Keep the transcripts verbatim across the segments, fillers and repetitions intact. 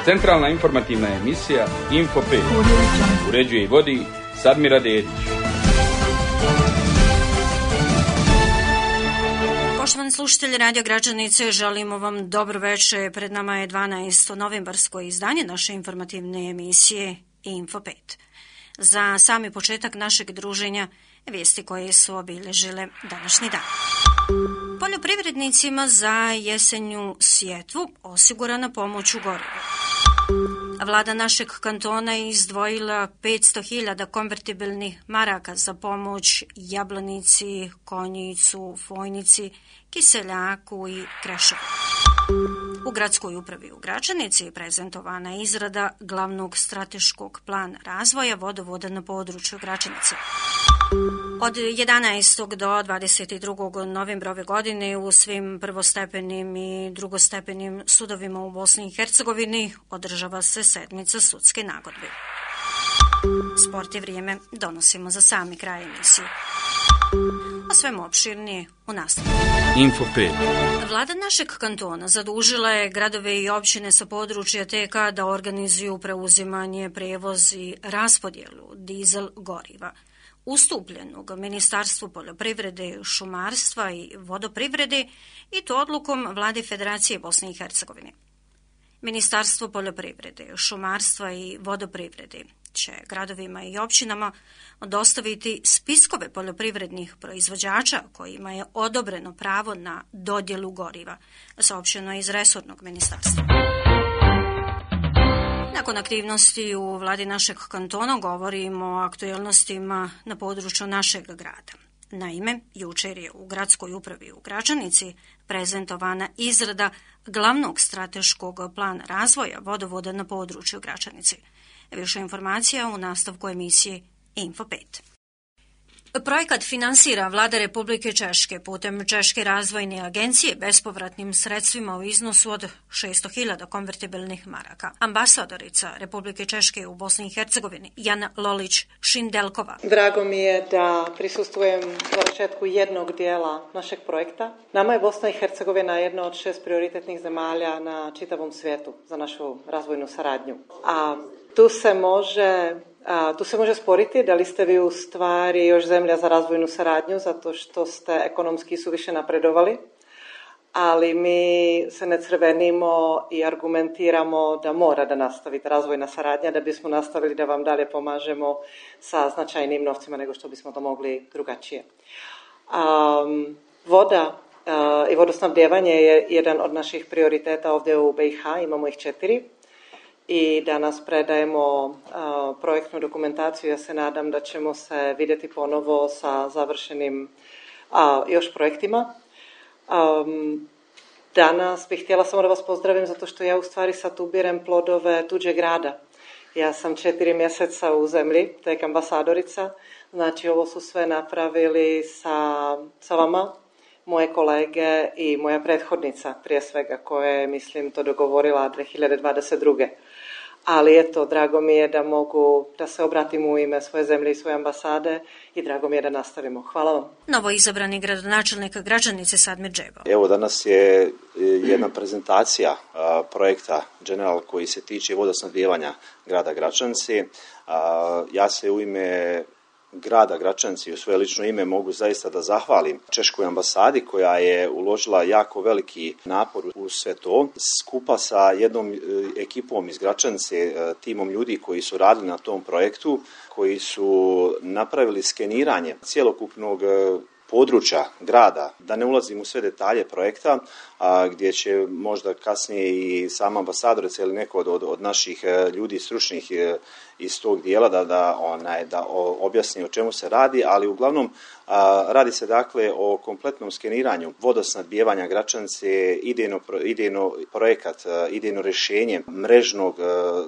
Centralna informativna emisija Info pet. Uređuje i vodi Sadmira Dedić. Poštovani slušatelji Radio Gračanice, želimo vam dobro večer. Pred nama je dvanaesto novembarsko izdanje naše informativne emisije Info pet. Za sami početak našeg druženja vijesti koje su obilježile današnji dan. Poljoprivrednicima za jesenju sjetvu osigurana pomoć u gorivu. Vlada našeg kantona je izdvojila petsto hiljada konvertibilnih maraka za pomoć Jablanici, Konjicu, Fojnici, Kiseljaku i Kreševu. U gradskoj upravi u Gračanici je prezentovana izrada glavnog strateškog plana razvoja vodovoda na području Gračanice. Od jedanaestog do dvadeset drugog novembra ove godine u svim prvostepenim i drugostepenim sudovima u Bosni i Hercegovini održava se sedmica sudske nagodbe. Sport je vrijeme, donosimo za sami kraj emisije. A svemu opširnije u nastavku. Info pet. Vlada našeg kantona zadužila je gradove i općine sa područja T K da organizuju preuzimanje, prevoz i raspodjelu dizel goriva ustupljenog Ministarstvu poljoprivrede, šumarstva i vodoprivrede i to odlukom Vlade Federacije Bosne i Hercegovine. Ministarstvo poljoprivrede, šumarstva i vodoprivrede će gradovima i općinama dostaviti spiskove poljoprivrednih proizvođača kojima je odobreno pravo na dodjelu goriva, saopšteno je iz resornog ministarstva. Nakon aktivnosti u vladi našeg kantona govorimo o aktuelnostima na području našeg grada. Naime, jučer je u gradskoj upravi u Gračanici prezentovana izrada glavnog strateškog plana razvoja vodovoda na području Gračanice. Više informacija u nastavku emisije Info pet. Projekat finansira Vlada Republike Češke putem Češke razvojne agencije bespovratnim sredstvima u iznosu od šesto hiljada konvertibilnih maraka. Ambasadorica Republike Češke u Bosni i Hercegovini Jana Lolić-Šindelkova. Drago mi je da prisustvujem završetku jednog dijela našeg projekta. Nama je Bosna i Hercegovina jedna od šest prioritetnih zemalja na čitavom svijetu za našu razvojnu saradnju. A tu se može A, tu se može sporiti da li ste vi u stvari još zemlja za razvojnu saradnju zato što ste ekonomski suviše napredovali, ali mi se ne crvenimo i argumentiramo da mora da nastavite razvojna saradnja da bismo nastavili da vam dalje pomažemo sa značajnim novcima nego što bismo to mogli drugačije. Um, voda uh, i vodosnabdijevanje je jedan od naših prioriteta ovdje u B i H, imamo ih četiri. I danas predajemo uh, projektnu dokumentaciju. Ja se nadam da ćemo se vidjeti ponovo sa završenim uh, još projektima. Um, danas bih htjela samo da vas pozdravim zato što ja u stvari sad ubirem plodove tuđeg rada. Ja sam četiri mjeseca u zemlji, tek ambasadorica. Znači ovo su sve napravili sa, sa vama, moje kolege i moja prethodnica prije svega koja je, mislim, to dogovorila dvije hiljade dvadeset druge. Ali eto, drago mi je da mogu da se obratim u ime svoje zemlje i svoje ambasade i drago mi je da nastavimo. Hvala vam. Novo izabrani gradonačelnik Gračanice Sadmir Džebo. Evo danas je jedna prezentacija a, projekta General koji se tiče vodosnabdijevanja grada Gračanice. A, ja se u ime grada Gračanice i u svoje lično ime mogu zaista da zahvalim Češkoj ambasadi koja je uložila jako veliki napor u sve to. Skupa sa jednom ekipom iz Gračanice, timom ljudi koji su radili na tom projektu, koji su napravili skeniranje cjelokupnog područja grada, da ne ulazim u sve detalje projekta, a, gdje će možda kasnije i sama ambasadorica ili neko od, od, od naših ljudi stručnih iz tog dijela da, da, onaj, da objasni o čemu se radi, ali uglavnom a, radi se dakle o kompletnom skeniranju vodosnabdijevanja Gračanice, idejno, idejno projekat, idejno rješenje mrežnog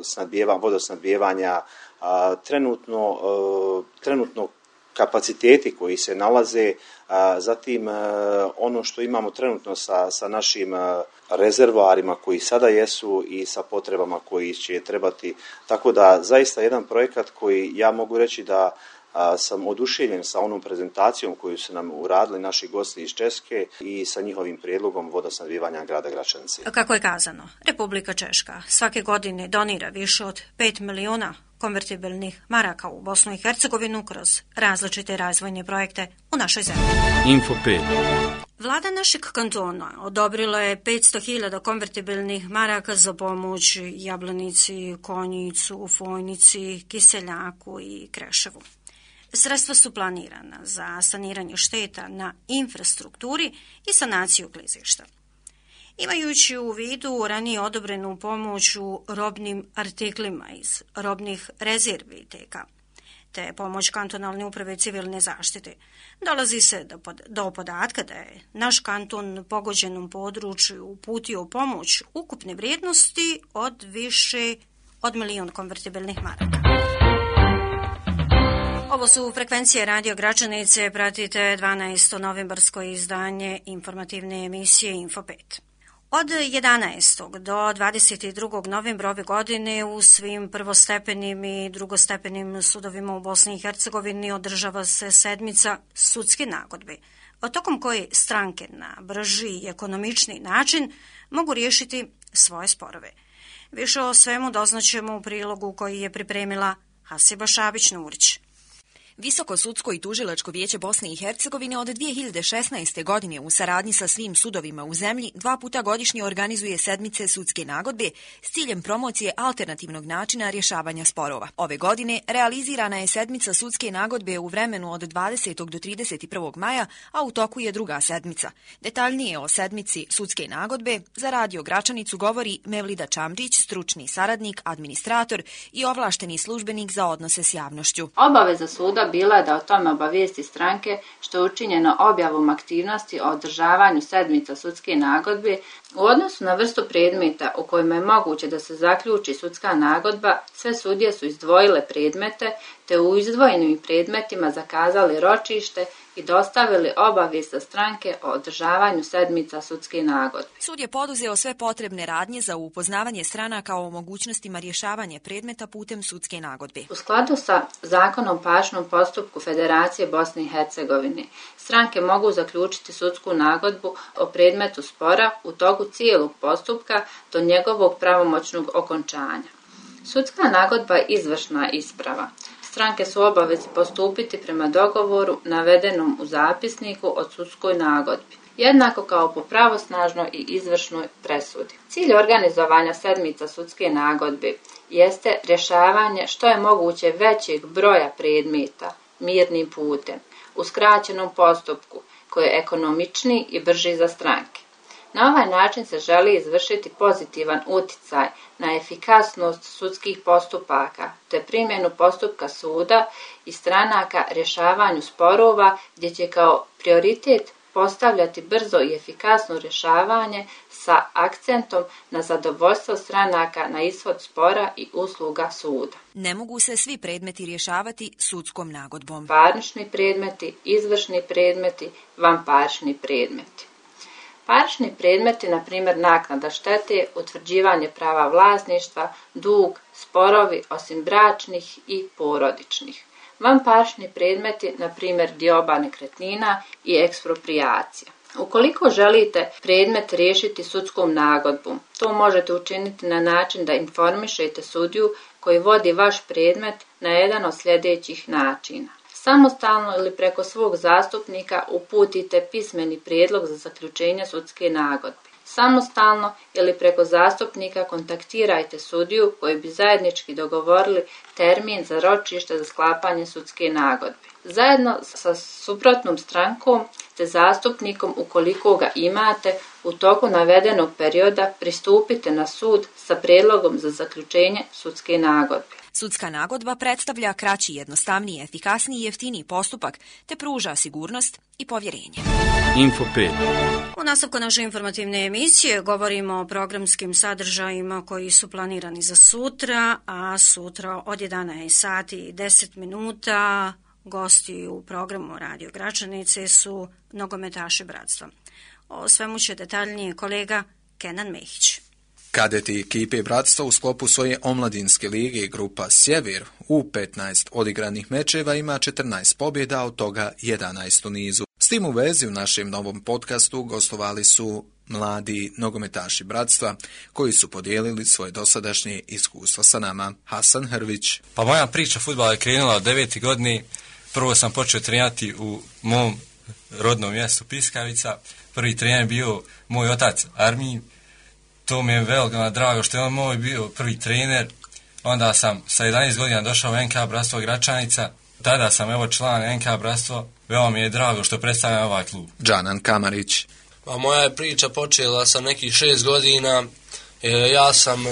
snabdijeva, vodosnabdijevanja, a, trenutno, a, trenutno kapaciteti koji se nalaze, a, zatim a, ono što imamo trenutno sa, sa našim a, rezervoarima koji sada jesu i sa potrebama koji će trebati. Tako da zaista jedan projekat koji ja mogu reći da a, sam oduševljen sa onom prezentacijom koju su nam uradili naši gosti iz Česke i sa njihovim prijedlogom vodosnabdijevanja grada Gračanice. Kako je kazano, Republika Češka svake godine donira više od pet miliona konvertibilnih maraka u Bosnu i Hercegovinu kroz različite razvojne projekte u našoj zemlji. Info pet. Vlada našeg kantona odobrila je petsto hiljada konvertibilnih maraka za pomoć Jablanici, Konjicu, Fojnici, Kiseljaku i Kreševu. Sredstva su planirana za saniranje šteta na infrastrukturi i sanaciju klizišta. Imajući u vidu ranije odobrenu pomoć u robnim artiklima iz robnih rezervi te ka, te pomoć kantonalne uprave civilne zaštite, dolazi se do, pod, do podatka da je naš kanton pogođenom području uputio pomoć ukupne vrijednosti od više od milion konvertibilnih maraka. Ovo su frekvencije Radio Gračanice, pratite dvanaesto novembarsko izdanje informativne emisije Info pet. Od jedanaestog do dvadeset drugog novembra ove godine u svim prvostepenim i drugostepenim sudovima u Bosni i Hercegovini održava se sedmica sudske nagodbe, tokom koje stranke na brži i ekonomičniji način mogu riješiti svoje sporove. Više o svemu doznaćemo u prilogu koji je pripremila Hasiba Šabić-Nurić. Visoko sudsko i tužilačko vijeće Bosne i Hercegovine od dvije hiljade šesnaeste. godine u saradnji sa svim sudovima u zemlji dva puta godišnje organizuje sedmice sudske nagodbe s ciljem promocije alternativnog načina rješavanja sporova. Ove godine realizirana je sedmica sudske nagodbe u vremenu od dvadesetog do trideset prvog maja, a u toku je druga sedmica. Detaljnije o sedmici sudske nagodbe za Radio Gračanicu govori Mevlida Čamđić, stručni saradnik, administrator i ovlašteni službenik za odnose s javnošću. Obaveza suda bila da o tome obavijesti stranke što je učinjeno objavom aktivnosti o održavanju sedmica sudske nagodbe. U odnosu na vrstu predmeta u kojima je moguće da se zaključi sudska nagodba, sve sudije su izdvojile predmete te u izdvojenim predmetima zakazali ročište i dostavili obavijest za stranke o održavanju sedmica sudske nagodbe. Sud je poduzeo sve potrebne radnje za upoznavanje stranaka o mogućnostima rješavanja predmeta putem sudske nagodbe. U skladu sa Zakonom o parničnom postupku Federacije Bosne i Hercegovine, stranke mogu zaključiti sudsku nagodbu o predmetu spora u toku cijelog postupka do njegovog pravomoćnog okončanja. Sudska nagodba je izvršna isprava. Stranke su obavezi postupiti prema dogovoru navedenom u zapisniku o sudskoj nagodbi, jednako kao po pravosnažnoj i izvršnoj presudi. Cilj organizovanja sedmica sudske nagodbe jeste rješavanje što je moguće većeg broja predmeta mirnim putem, u skraćenom postupku, koji je ekonomičniji i brži za stranke. Na ovaj način se želi izvršiti pozitivan utjecaj na efikasnost sudskih postupaka, te primjenu postupka suda i stranaka rješavanju sporova, gdje će kao prioritet postavljati brzo i efikasno rješavanje sa akcentom na zadovoljstvo stranaka na ishod spora i usluga suda. Ne mogu se svi predmeti rješavati sudskom nagodbom. Parnični predmeti, izvršni predmeti, vanparnični predmeti. Parnični predmeti, na primjer naknada štete, utvrđivanje prava vlasništva, dug, sporovi osim bračnih i porodičnih. Vanparnični predmeti, na primjer dioba nekretnina i eksproprijacija. Ukoliko želite predmet riješiti sudskom nagodbom, to možete učiniti na način da informišete sudiju koji vodi vaš predmet na jedan od sljedećih načina. Samostalno ili preko svog zastupnika uputite pismeni prijedlog za zaključenje sudske nagodbe. Samostalno ili preko zastupnika kontaktirajte sudiju koji bi zajednički dogovorili termin za ročište za sklapanje sudske nagodbe. Zajedno sa suprotnom strankom te zastupnikom, ukoliko ga imate, u toku navedenog perioda pristupite na sud sa prijedlogom za zaključenje sudske nagodbe. Sudska nagodba predstavlja kraći, jednostavniji, efikasniji i jeftiniji postupak te pruža sigurnost i povjerenje. Info pet. U nastavku naše informativne emisije govorimo o programskim sadržajima koji su planirani za sutra, a sutra od jedanaest sati i deset minuta gosti u programu Radio Gračanice su nogometaši bratstva. O svemu će detaljnije kolega Kenan Mehić. Kadeti ekipe Bratstva u sklopu svoje omladinske lige grupa Sjever u petnaest odigranih mečeva ima četrnaest pobjeda, od toga jedanaest u nizu. S tim u vezi u našem novom podcastu gostovali su mladi nogometaši Bratstva koji su podijelili svoje dosadašnje iskustvo sa nama. Hasan Hrvić. Pa moja priča fudbala je krenula od devete godine. Prvo sam počeo trenirati u mom rodnom mjestu Piskavica. Prvi trener je bio moj otac Armin. To mi je veoma drago što je on moj bio prvi trener. Onda sam sa jedanaest godina došao u en ka Bratstvo Gračanica. Tada sam evo član en ka Bratstvo. Veoma mi je drago što predstavljam ovaj klub. Džanan Kamarić. Pa moja je priča počela sa nekih šest godina. E, ja sam e,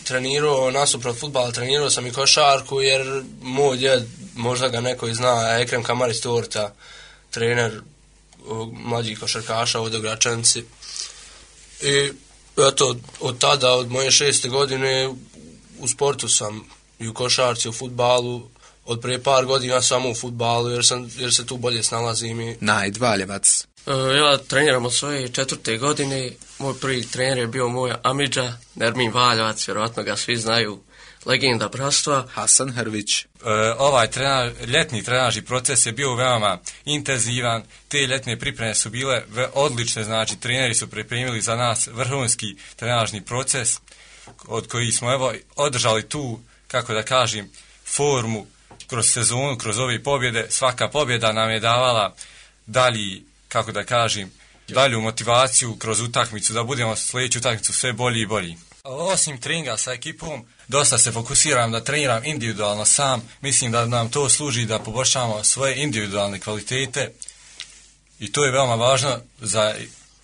trenirao nasuprot fudbala, trenirao sam i košarku jer moj djed, možda ga neko i zna, Ekrem Kamarić Torta, trener o, mlađih košarkaša ovdje u Gračanici. I eto, od tada, od moje šeste godine u sportu sam i u košarci, u fudbalu. Od prije par godina samo u fudbalu jer, sam, jer se tu bolje snalazim. I... Najd Valjevac. Ja treniram od svoje četvrte godine. Moj prvi trener je bio moj amidža, Nermin Valjevac, vjerojatno ga svi znaju, legenda Bratstva. Hasan Hrvić. E, ovaj trenaž, ljetni trenažni proces je bio veoma intenzivan. Te ljetne pripreme su bile odlične, znači treneri su pripremili za nas vrhunski trenažni proces od koji smo evo održali tu, kako da kažem, formu kroz sezonu, kroz ove pobjede. Svaka pobjeda nam je davala dalji, kako da kažem, dalju motivaciju kroz utakmicu, da budemo sljedeću utakmicu sve bolji i bolji. Osim treninga sa ekipom, dosta se fokusiram da treniram individualno sam. Mislim da nam to služi da poboljšamo svoje individualne kvalitete i to je veoma važno za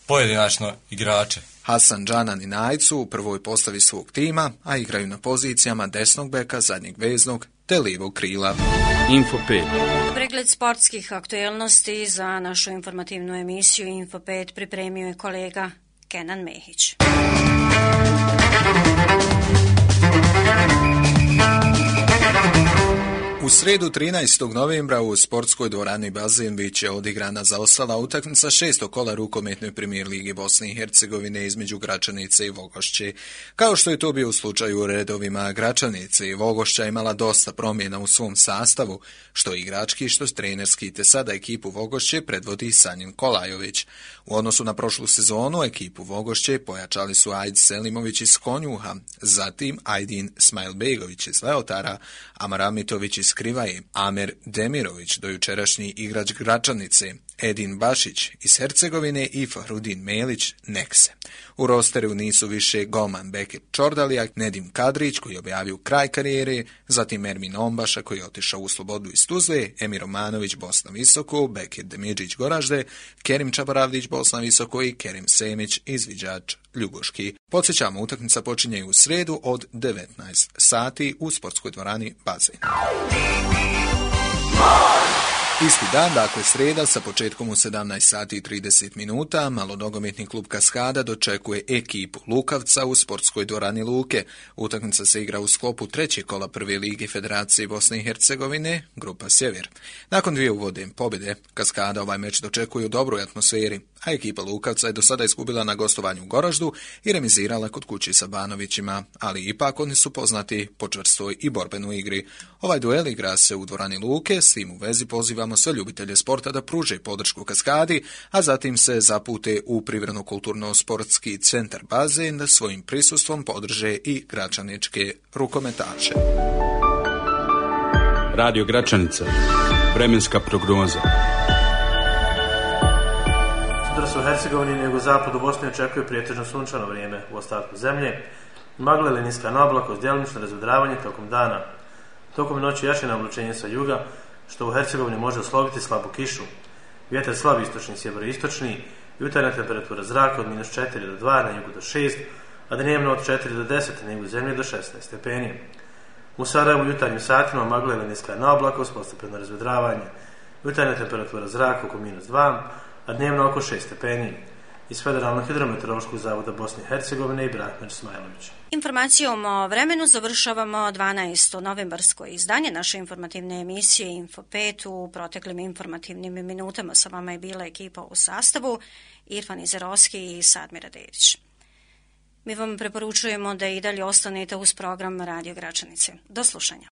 pojedinačno igrače. Hasan, Džanan i Najd su u prvoj postavi svog tima, a igraju na pozicijama desnog beka, zadnjeg veznog te lijevog krila. Info pet. Pregled sportskih aktuelnosti za našu informativnu emisiju Info pet pripremio je kolega Kenan Mehić. U sredu trinaestog novembra u sportskoj dvorani Bazen bit će odigrana zaostala utakmica šestog kola rukometnoj premijer ligi Bosne i Hercegovine između Gračanice i Vogošće. Kao što je to bio u slučaju u redovima Gračanice i Vogošća imala dosta promjena u svom sastavu, što igrački, što trenerski, te sada ekipu Vogošće predvodi Sanjin Kolajović. U odnosu na prošlu sezonu ekipu Vogošće pojačali su Ajd Selimović iz Konjuha, zatim Ajdin Smajlbegović iz Leotara, Amar Amitović iz Krivaje, Amer Demirović, dojučerašnji igrač Gračanice, Edin Bašić iz Hercegovine i Fahrudin Melić Nekse. U rosteru nisu više golman Bekir Čordalijak, Nedim Kadrić koji je objavio kraj karijere, zatim Ermin Ombaša koji je otišao u slobodu iz Tuzle, Emir Romanović Bosna Visoko, Bekir Demidžić Goražde, Kerim Čabaravdić Bosna Visoko i Kerim Semić izviđač Ljubuški. Podsjećamo, utakmica počinje u sredu od devetnaest sati u sportskoj dvorani Bazen. Isti dan, dakle sreda, sa početkom u sedamnaest sati i trideset minuta, malonogometni klub Kaskada dočekuje ekipu Lukavca u sportskoj dvorani Luke. Utakmica se igra u sklopu trećeg kola prve lige Federacije Bosne i Hercegovine, grupa Sjever. Nakon dvije uvodne pobjede, Kaskada ovaj meč dočekuje u dobroj atmosferi, a ekipa Lukavca je do sada izgubila na gostovanju u Goraždu i remizirala kod kući sa Banovićima, ali ipak oni su poznati po čvrstoj i borbenoj igri. Ovaj duel igra se u dvorani Luke, s tim u vezi pozivamo sve ljubitelje sporta da pruže podršku Kaskadi, a zatim se zapute u Privredno-kulturno-sportski centar Bazen da svojim prisustvom podrže i gračaničke rukometaše. Radio Gračanica. Vremenska prognoza. Sutra se u Hercegovini nego zapadu Bosne očekuje prijetežno sunčano vrijeme u ostatku zemlje. Magla ili niska na oblakost, djelomično razvedravanje tokom dana. Tokom noći jače naoblačenje sa juga, što u Hercegovini može oslobiti slabu kišu. Vjetar slab istočni, sjevero-istočni, jutarnja temperatura zraka od minus četiri do dva, na jugu do šest, a dnevno od četiri do deset, na jugu zemlje do šesnaest stepeni. U Sarajevu u jutarnjim satima magla ili niska na oblakost, postepeno razvedravanje. Jutarnja temperatura zraka oko minus dva, a dnevno oko šest stepeni. Iz Federalnog hidrometeorološkog zavoda Bosne i Hercegovine i Brahmer Smajlović. Informacijom o vremenu završavamo dvanaesto novembarsko izdanje naše informativne emisije Info pet. U proteklim informativnim minutama sa vama je bila ekipa u sastavu Irfan Izerovski i Sadmira Dedić. Mi vam preporučujemo da i dalje ostanete uz program Radio Gračanice. Do slušanja.